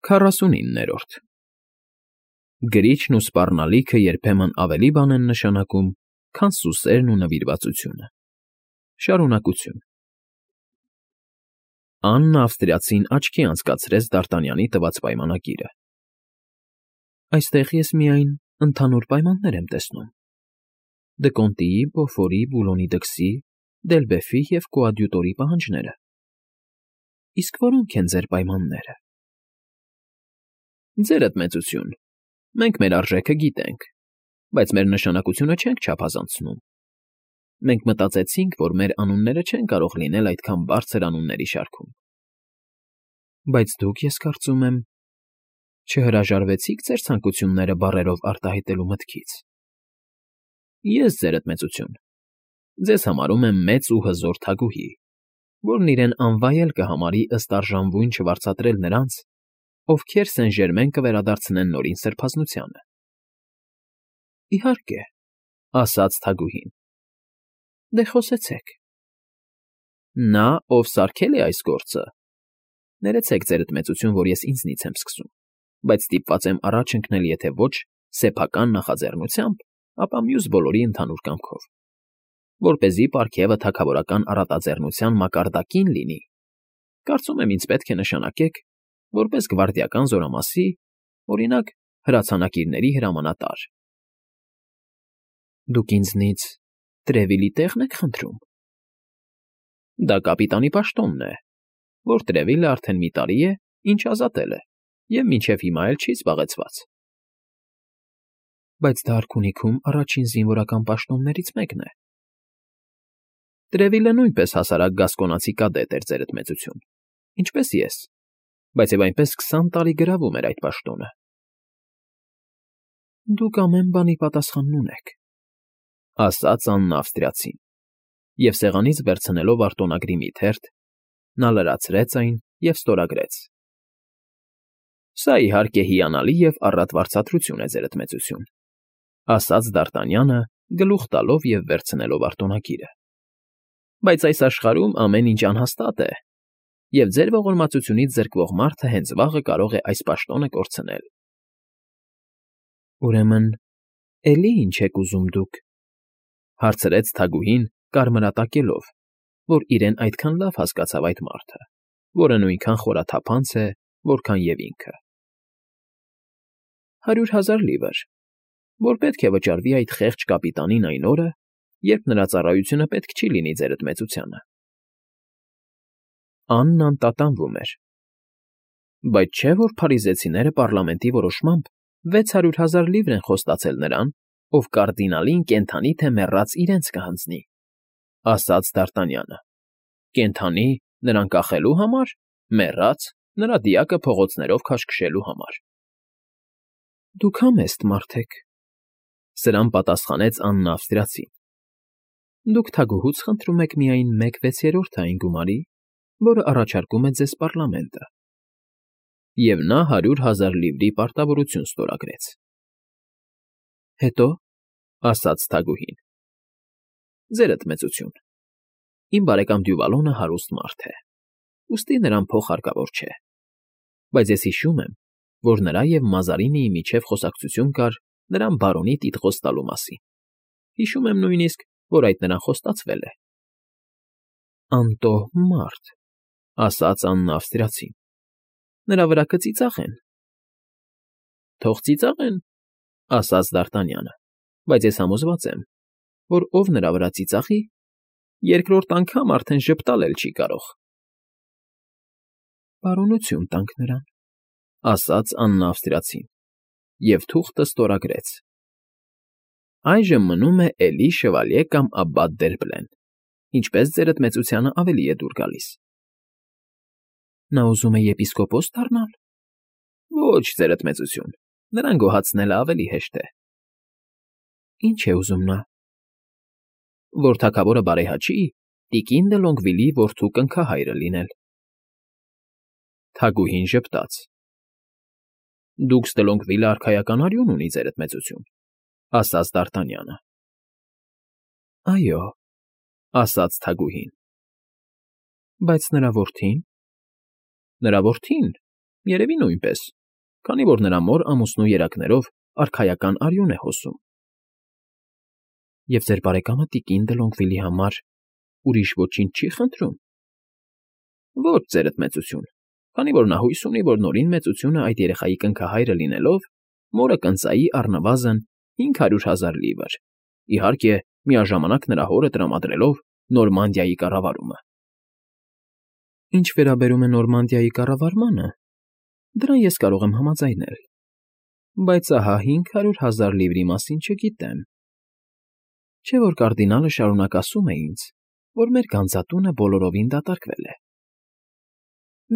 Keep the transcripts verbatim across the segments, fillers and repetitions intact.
Քառասունիններորդ Գրիչն ու սպառնալիքը երբեմն ավելի բան են նշանակում, քան սուսերն ու նվիրվածությունը։ Շարունակություն Աննը ավստրիացին աչքի անցկացրեց Դ'Արտանյանի տված պայմանագիրը։ Այստեղ ես միայն ընդհանուր պայմաններ եմ տեսնում. Դկոնտիի, Բոֆորի, Բուլոնի դքսի, Դելբեֆի և Կոադյուտորի պահանջները։ Իսկ որո՞նք են ձեր պայմանները։ Ձերդ մեծություն, մենք մեր արժեքը գիտենք, բայց մեր նշանակությունը չենք չափազանցնում։ Մենք մտածեցինք, որ մեր անունները չեն կարող լինել այդքան բարձր անունների շարքում։ Բայց դուք, ես կարծում եմ, չհրաժարվեցիք ձեր ցանկությունները բառերով արտահայտելու մտքից։ Ես, ձերդ մեծություն, ձեզ համարում եմ մեծ ու հզոր թագուհի, որն իրեն անվայել կհամարի ըստ արժանվույն չվարձատրել նրանց, ովքեր Սեն֊Ժերմեն կվերադարձնեն նորին սրբազնությանը։ Իհարկե, ասաց թագուհին։ Դե խոսեցեք։ Նա, ով սարքել է այս գործը, ներեցեք, ձերդ մեծություն, որ ես ինձնից եմ սկսում, բայց ստիպված եմ առաջ ընկնել եթե ոչ սեփական նախաձեռնությամբ, ապա մյուս բոլորի ընդհանուր կամքով, որպեսզի պարգևը թագավորական առատաձեռնության մակարդակին լինի, կարծում եմ ինձ պետք է նշանակեք, որպես գվարդիական զորամասի, օրինակ, հրացանակիրների հրամանատար։ Դուք ինձնից Տրևիլի տեղն եք խնդրում։ Դա կապիտանի պաշտոնն է, որ Տրևիլը արդեն մի տարի է, ինչ ազատել է, և մինչև հիմա էլ չի զբաղեցված։ Բայց դա արքունիքում առաջին զինվորական պաշտոններից մեկն է։ Տրևիլը նույնպես հասարակ գասկոնացի կադետ էր, ձերդ մեծություն, ինչպես ես, բայց և այնպես քսան տարի գրավում էր այդ պաշտոնը։ Դուք ամեն բանի պատասխանն ունեք, ասաց Աննա ավստրիացին, և սեղանից վերցնելով արտոնագրի մի թերթ, նա լրացրեց այն և ստորագրեց։ Սա, իհարկե, հիանալի և առատ վարձատրություն է, ձերդ մեծություն, ասաց Դ'Արտանյանը, գլուխ տալով և վերցնելով արտոնագիրը։ Բայց այս աշխարհում ամեն ինչ անհաստատ է, և ձեր ողորմածությունից զրկվող մարդը հենց վաղը կարող է այս պաշտոնը կորցնել։ Ուրեմն, էլի ինչ եք ուզում դուք, հարցրեց թագուհին, կարմրատակելով, որ իրեն այդքան լավ հասկացավ այդ մարդը, որը նույնքան խորաթափանց է, որքան և ինքը։ Հարյուր հազար լիվր, որ պետք է վճարվի այդ խեղճ կապիտանին այն օրը, երբ նրա ծառայությունը պետք չի լինի ձերդ մեծությանը։ Աննան տատանվում էր։ Բայց չէ՞ որ փարիզեցիները պառլամենտի որոշմամբ վեց հարյուր հազար լիվր են խոստացել նրան, ով կարդինալին կենդանի թե մեռած իրենց կհանձնի, ասաց Դ'Արտանյանը։ Կենդանի՝ նրան կախելու համար, մեռած՝ նրա դիակը փողոցներով քաշքշելու համար։ Դուք համեստ մարդ եք, սրան պատասխանեց Աննա ավստրիացին։ Դուք թագուհուց խնդրում եք միայն մեկ վեցերորդը այն գումարի, որը առաջարկում է ձեզ պառլամենտը։ Եվ նա հարյուր հազար լիվրի պարտավորություն ստորագրեց։ Հետո, ասաց թագուհին. Ձերդ մեծություն, իմ բարեկամ Դյուվալոնը հարուստ մարդ է, ուստի նրան փող հարկավոր չէ, բայց ես հիշում եմ, որ նրա և Մազարինիի միջև խոսակցություն կար նրան բարոնի տիտղոս տալու մասին։ Հիշում եմ նույնիսկ, որ այդ նրան խոստացվել է։ Անտոհ մարդ, ասաց Աննա ավստրիացին, նրա վրա կծիծաղ են։ Թող ծիծաղեն, ասաց Դ'Արտանյանը, բայց ես համոզված եմ, որ ով նրա վրա ծիծաղի, երկրորդ անգամ արդեն ժպտալ էլ չի կարող։ Բարօրություն տանք նրան, ասաց Աննա ավստրիացին, և թուղթը ստորագրեց։ Այժմ մնում է էլի շվալյե կամ աբբատ Դերբլեն, ինչպես ձերդ մեծությանը ավելի է դուր գալիս։ Նա ուզում է եպիսկոպոս դառնալ։ Ոչ, ձերդ մեծություն, նրան գոհացնելը ավելի հեշտ է։ Ինչ է ուզում նա։ Որ թագավորը բարեհաճի, տիկին դը Լոնգվիլի որդու կնքահայրը լինել։ Թագուհին ժպտաց։ Դուքս դե Լոնգվիլը արքայական արյուն ունի, ձերդ մեծություն, ասաց Դ'Արտանյանը։ Այո, ասաց թագուհին։ Բայց նրա որդին։ Նրա որդին, երևի նույնպես, քանի որ նրա մոր ամուսնու երակներով արքայական արյուն է հոսում։ ֊ Եվ ձեր բարեկամը տիկին Դլոնգվիլի համար ուրիշ ոչինչ չի խնդրում։ ֊ Ոչ, ձերդ մեծություն, քանի որ նա հույս ունի, որ Նորին մեծությունը այդ երեխայի կնքահայրը լինելով, մորը կընծայի առնվազն հինգ հարյուր հազար լիվր, իհարկե, միաժամանակ նրա հորը տրամադրելով Նորմանդիայի կառավարումը։ ֊ Ինչ վերաբերում է Նորմանդիայի կառավարմանը, դրան ես կարող եմ համաձայնել, բայց ահա հինգ հարյուր հազար լիվրի մասին չգիտեմ։ Չէ՞ որ կարդինալը շարունակ ասում է ինձ, որ մեր գանձատունը բոլորովին դատարկվել է։ ֊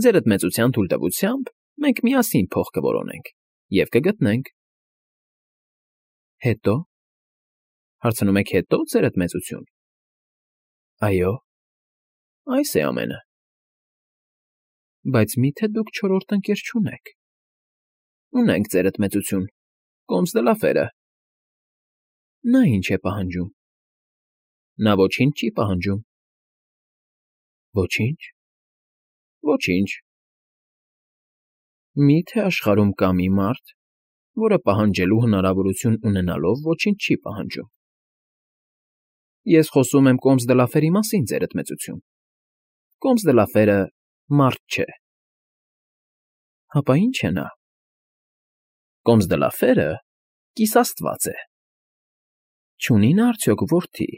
Ձերդ մեծության թույլտվությամբ մենք միասին փող կորոնենք և կգտնենք։ ֊ Հետո՞, հարցնում եք հետո՞, ձերդ մեծություն։ ֊ Այո, այս է ամենը։ ֊ Բայց մի՞թե դուք չորրորդ ընկեր չունեք։ ֊ Ունենք, ձերդ մեծություն, Կոմս դը Լաֆերը։ ֊ Նա ի՞նչ է պահանջում։ ֊ Նա ոչինչ չի պահանջում։ ֊ Ոչինչ։ ֊ Ոչինչ։ ֊ Մի՞թե աշխարհում կա մի մարդ, որը պահանջելու հնարավորություն ունենալով ոչինչ չի պահանջում։ ֊ Ես խոսում եմ Կոմս դը Լաֆերի մասին, ձերդ մեծություն։ Կոմս դը Լաֆերը մարդ չէ։ ֊ Հապա ի՞նչ է նա։ ֊ Կոմս դը Լաֆերը կիսաստված է։ Չունի՞ նա արդյոք որդի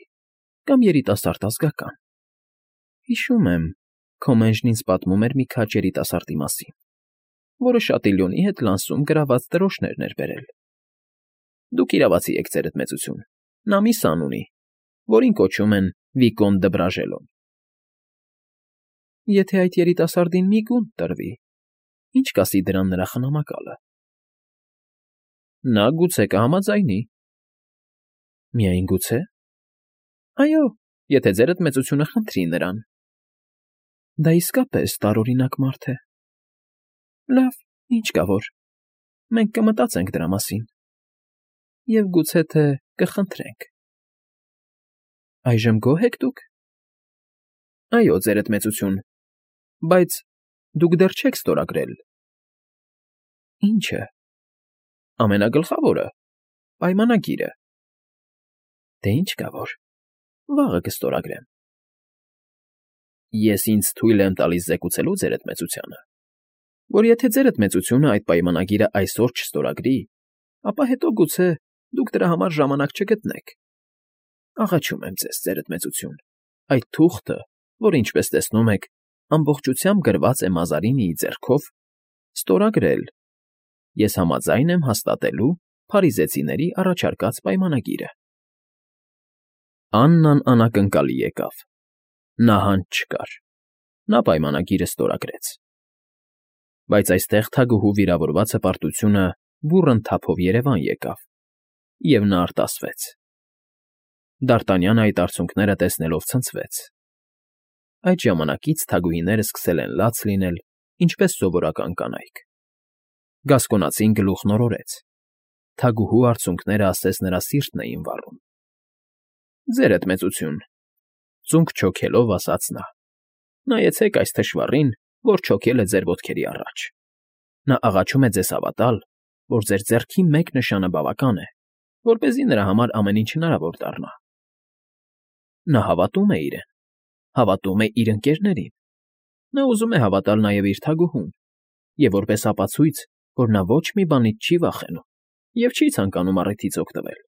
կամ երիտասարդ ազգական։ Հիշում եմ, քո մենժն ինձ պատմում էր մի քաջ երիտասարդի մասին, որը Շատիլյոնի հետ Լանսում գրաված դրոշներն էր բերել։ Դուք իրավացի եք, ձերդ մեծություն, նա մի սան ունի, որին կոչում են Վիկոն դը Բրաժելոն։ ֊ Եթե այդ երիտասարդին մի գունդ տրվի, ի՞նչ կասի դրան նրա խնամակալը։ ֊ Նա գուցե կհամաձայնի։ ֊ Միայն գուցե։ ֊ Այո, եթե ձերդ մեծությունը խնդրի նրան։ ֊ Դա իսկապես տարօրինակ մարդ է։ ֊ Լավ, ինչ կա որ, մենք կմտածենք դրա մասին և գուցե թե կխնդրենք։ ֊ Այժմ գոհ եք դուք։ ֊ Այո, ձերդ մեծություն, բայց դուք դեռ չեք ստորագրել։ ֊ Ի՞նչը։ ֊ Ամենագլխավորը՝ պայմանագիրը։ ֊ Դե ինչ կա որ, վաղը կստորագրեմ։ ֊ Ես ինձ թույլ եմ տալիս զեկուցելու ձերդ մեծությանը, որ եթե ձերդ մեծությունը այդ պայմանագիրը այսօր չստորագրի, ապա հետո գուցե դուք դրա համար ժամանակ չգտնեք։ Աղաչում եմ ձեզ, ձերդ մեծություն, այդ թուղթը, որ, ինչպես տեսնում եք, ամբողջությամբ գրված է Մազարինիի ձեռքով, ստորագրել։ Ես համաձայն եմ հաստատելու փարիզեցիների առաջարկած պայմանագիրը։ Աննան անակնկալի եկավ։ Նահանջ չկար։ Նա պայմանագիրը ստորագրեց։ Բայց այստեղ թագուհու վիրավորված հպարտությունը բուռն թափով երևան եկավ, և նա արտասվեց։ Դարտանյանը այդ արցունքները տեսնելով ցնցվեց։ Այդ ժամանակից թագուհիները սկսել են լաց լինել, ինչպես սովորական կանայք։ Գասկոնացին գլուխն օրորեց։ Թագուհու արցունքները ասես նրա սիրտն էին վառում։ ֊ Ձերդ մեծություն,֊ ծունկ չոքելով ասաց նա,֊ նայեցեք այս թշվառին, որ չոքել է ձեր ոտքերի առաջ։ Նա աղաչում է ձեզ հավատալ, որ ձեր ձեռքի մեկ նշանը բավական է, որպեսզի նրա համար ամեն ինչ հնարավոր դառնա։ Նա հավատում է իրեն, հավատում է իր ընկերներին։ Նա ուզում է հավատալ նաև իր թագուհուն, և որպես ապացույց, որ նա ոչ մի բանից չի վախենում և չի ցանկանում առիթից օգտվել,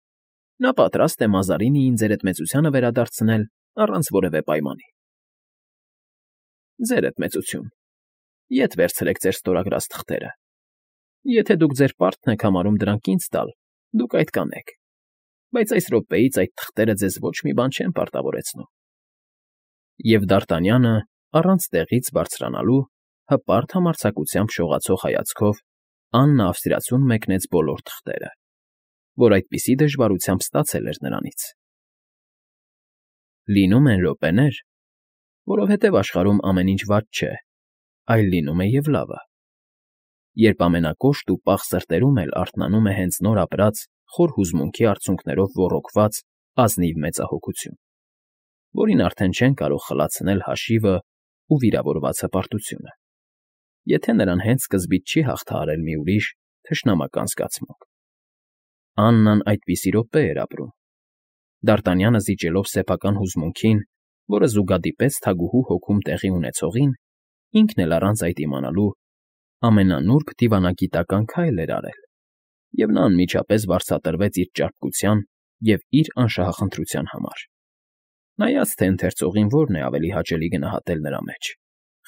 նա պատրաստ է Մազարինիին ձերդ մեծությանը վերադարձնել առանց որևէ պայմանի։ ֊ Ձերդ մեծություն, ետ վերցրեք ձեր ստորագրած թղթերը։ Եթե դուք ձեր պարտքն եք համարում դրանք ինձ տալ, դուք այդ կանեք, բայց այս րոպեից այդ թղթերը ձեզ ոչ մի բան չեն պարտավորեցնում։ Եվ Դարտանյանը, առանց տեղից բարձրանալու, հպարտ համարձակությամբ շողացող հայացքով Աննա ավստրիացուն մեկնեց բոլոր թղթերը, որ այդպիսի դժվարությամբ ստացել էր նրանից։ Լինում են րոպեներ, որովհետև աշխարհում ամեն ինչ վատ չէ, այլ լինում է և լավը, երբ ամենակոշտ ու պաղ սրտերում էլ արթնանում է հենց նոր ապրած, խոր հուզմունքի արցունքներով ոռոգված ազնիվ մեծահոգություն, որին արդեն չեն կարող խլացնել հաշիվն ու վիրավորված հպարտությունը։ եթե նրան հենց սկզբից չի հաղթահարել մի ուրիշ, թշնամական զգացմունք։ Աննան այդպիսի րոպե էր ապրում։ Դարտանյանը զիջելով սեփական հուզմունքին, որը զուգադիպեց թագուհու հոգում տեղի ունեցողին, ինքն էլ առանց այդ իմանալու ամենանուրբ դիվանագիտական քայլ էր արել, և նա անմիջապես վարձատրվեց իր ճարպկության և իր անշահախնդրության համար, նայած թե ընթերցողին որն է ավելի հաճելի գնահատել նրա մեջ՝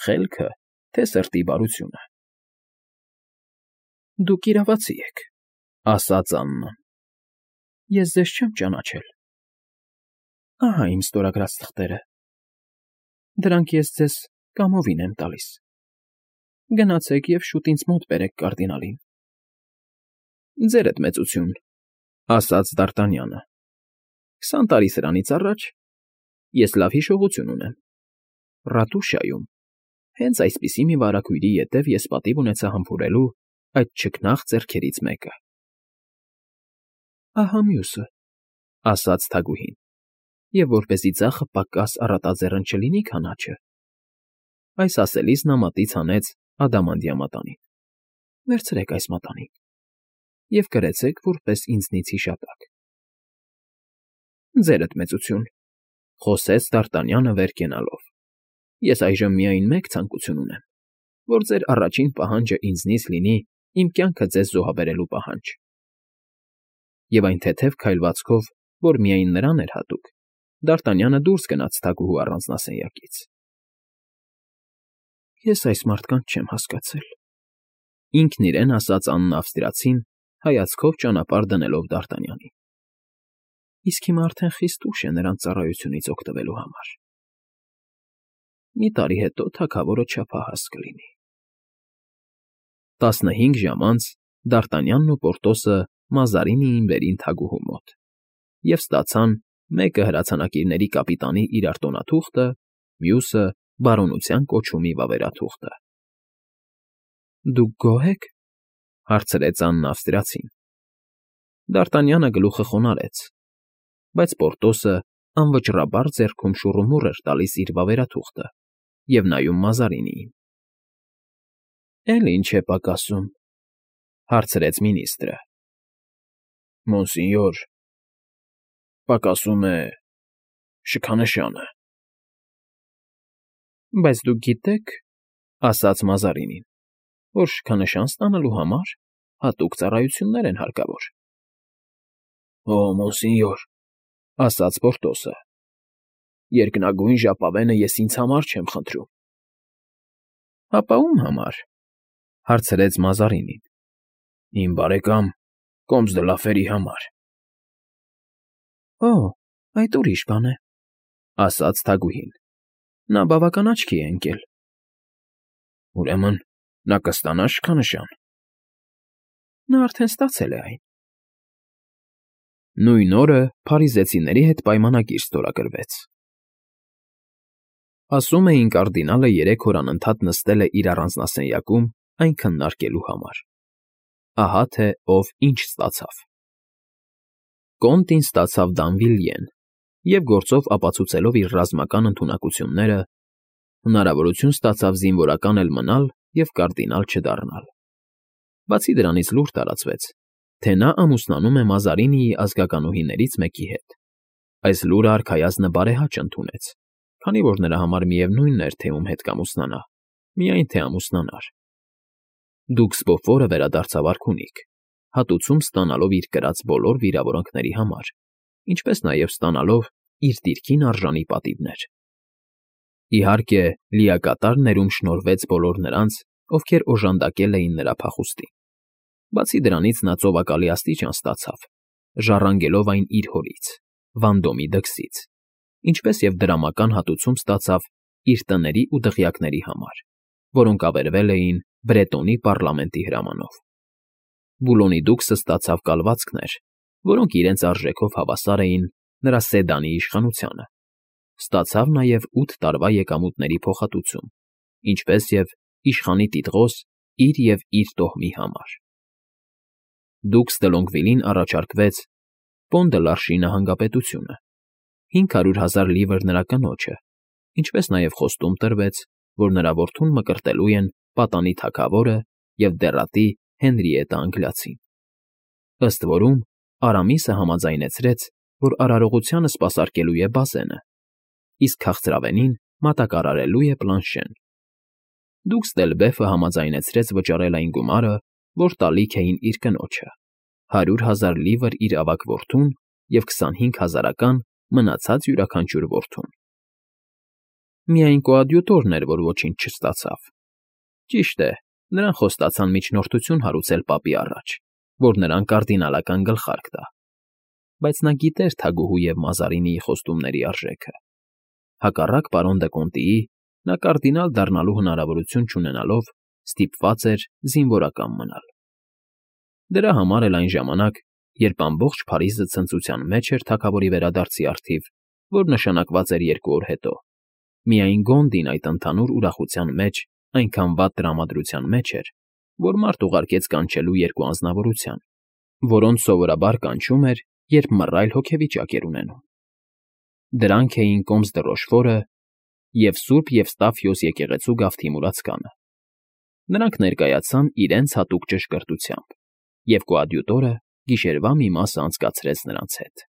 խելքը, թե սրտի բարությունը։ ֊ Դուք իրավացի եք,֊ ասաց Աննան։ Ես ձեզ չեմ ճանաչել։ Ահա իմ ստորագրած թղթերը։ Դրանք ես ձեզ կամովին եմ տալիս։ Գնացեք և շուտ ինձ մոտ բերեք կարդինալին։ ֊ Ձերդ մեծություն,֊ ասաց Դարտանյանը։ Քսան տարի սրանից առաջ ես լավ հիշողություն ունեմ. Ռատուշայում, հենց այսպիսի մի վարագույրի ետև ես պատիվ ունեցա համբուրելու այդ չքնաղ ձեռքերից մեկը։ ֊ Ահա մյուսը,֊ ասաց թագուհին, և որպեսզի ձախը պակաս առատաձեռն չլինի քանաչը, այս ասելիս նա մատից հանեց ադամանդյա մատանին։ Վերցրեք այս մատանին և կրեցեք որպես ինձնից հիշատակ։ ֊ Ձերդ մեծություն,֊ խոսեց Դարտանյանը վեր կենալով, ես այժմ միայն մեկ ցանկություն ունեմ, որ ձեր առաջին պահանջը ինձնից լինի իմ կյանքը ձեզ զոհաբերելու պահանջ։ Եվ այն թեթև քայլվածքով, որ միայն նրան էր հատուկ, Դարտանյանը դուրս գնաց թագուհու առանձնասենյակից։ Ես այս մարդկանց չեմ հասկացել,֊ ինքն իրեն ասաց Աննա ավստրիացին, հայացքով ճանապարհ դնելով Դարտանյանին։ Իսկ հիմա արդեն խիստ ուշ է նրանց ծառայությունից օգտվելու համար։ Մի տարի հետո թագավորը չափահաս կլինի։ Տասնհինգ ժամ անց Դարտանյանն ու Պորտոսը Մազարինի էին վերին թագուհու մոտ և ստացան մեկը հրացանակիրների կապիտանի իրարտոնաթուղթը, մյուսը բարոնության կոչումի վավերաթուղթը։ ֊ Դուք գոհ եք,֊ հարցրեց Աննա ավստրիացին։ Դարտանյանը գլուխը խոնարհեց, բայց Պորտոսը անվճռաբար ձեռքում շուռումուռ էր տալիս իր վավերաթուղթը և նայում Մազարինիին։ ֊ Էլի ինչ է պակասում,֊ հարցրեց մինիստրը։ ֊ Մոնսինյոր, պակասում է… շքանշանը։ ֊ Բայց դուք գիտեք,֊ ասաց Մազարինին, որ շքանշան ստանալու համար հատուկ ծառայություններ են հարկավոր։ ֊ Օ՜, մոնսինյոր,֊ ասաց Պորտոսը,֊ երկնագույն ժապավենը ես ինձ համար չեմ խնդրում։ ֊ Հապա ո՞ւմ համար,֊ հարցրեց Մազարինին։ ֊ Իմ բարեկամ Կոմս դը Լաֆերի համար։ ֊ Օ՜, այդ ուրիշ բան է,֊ ասաց թագուհին։ Նա բավական աչքի է ընկել։ ֊ Ուրեմն նա կստանա շքանշան։ ֊ Նա արդեն ստացել է այն։ Նույն օրը փարիզեցիների հետ պայմանագիր ստորագրվեց։ Ասում էին, կարդինալը երեք օր անընդհատ նստել է իր առանձնասենյակում այն քննարկելու համար։ Ահա թե ով ինչ ստացավ։ Կոնտին ստացավ Դանվիլյեն և, գործով ապացուցելով իր ռազմական ընդունակությունները, հնարավորություն ստացավ զինվորական էլ մնալ և կարդինալ չդառնալ։ Բացի դրանից լուր տարածվեց, թե նա ամուսնանում է Մազարինիի ազգականուհիներից մեկի հետ։ Այս լուրը արքայազնը բարեհաճ ընդունեց, քանի որ նրա համար միևնույն էր, թե ում հետ կամուսնանա, միայն թե ամուսնանար։ Դուքս Բոֆորը վերադարձավ արքունիք, հատուցում ստանալով իր կրած բոլոր վիրավորանքների համար, ինչպես նաև ստանալով իր դիրքին արժանի պատիվներ։ Իհարկե, լիակատար ներում շնորհվեց բոլոր նրանց, ովքեր օժանդակել էին նրա փախուստին։ Բացի դրանից նա ծովակալի աստիճան ստացավ, ժառանգելով այն իր հորից՝ Վանդոմի դքսից, ինչպես և դրամական հատուցում ստացավ իր տների ու դղյակների համար, որոնք ավերվել էին Բրետոնի պարլամենտի հրամանով։ Բուլոնի դուքսը ստացավ կալվածքներ, որոնք իրենց արժեքով հավասար էին նրա Սեդանի իշխանությանը, ստացավ նաև ութ տարվա եկամուտների փոխհատուցում, ինչպես և իշխանի տիտղոս իր և իր տոհմի համար։ Դուքս դը Լոնգվիլին առաջարկվեց Պոն դը Լարշի նահանգապետությունը, հինգ հարյուր հազար լիվր նրա կնոջը, ինչպես նաև խոստում տրվեց, որ նրա որդուն մկրտելու են պատանի թագավորը և դեռատի Հենրիետա Անգլիացին։ Ըստ որում, Արամիսը համաձայնեցրեց, որ արարողությանը սպասարկելու է Բազենը, իսկ քաղցրավենին մատակարարելու է Պլանշեն։ Դուքս Դելբեֆը համաձայնեցրեց վճարել այն գումարը, որ տալիք էին իր կնոջը, հարյուր հազար լիվր իր ավագ որդուն և քսանհինգ հազարական մնացած յուրաքանչյուր որդուն։ Միայն կոադյուտորն էր, որ ոչինչ չստացավ։ Ճիշտ է, նրան խոստացան միջնորդություն հարուցել պապի առաջ, որ նրան կարդինալական գլխարկ տա, բայց նա գիտեր թագուհու և Մազարինիի խոստումների արժեքը։ Հակառակ պարոն Դը նա կարդինալ դառնալու հնարավորություն չունենալով ստիպված էր զինվորական մնալ։ Դրա համար էլ այն ժամանակ, երբ ամբողջ Փարիզը ցնծության մեջ էր թագավորի վերադարձի առթիվ, որ նշանակված էր երկու օր հետո, միայն Գոնդին այդ ընդհանուր ուրախության մեջ այնքան վատ տրամադրության մեջ էր, որ մարդ ուղարկեց կանչելու երկու անձնավորության, որոնց սովորաբար կանչում էր, երբ մռայլ հոգեվիճակ էր ունենում։ Դրանք էին Կոմս դը Ռոշֆորը և Սուրբ Եվստաֆիոս եկեղեցու գավթի մուրացկանը։ Նրանք ներկայացան իրենց հատուկ ճշգրտությամբ, և կոադյուտորը գիշերվա մի մասը անցկացրեց նրանց հետ։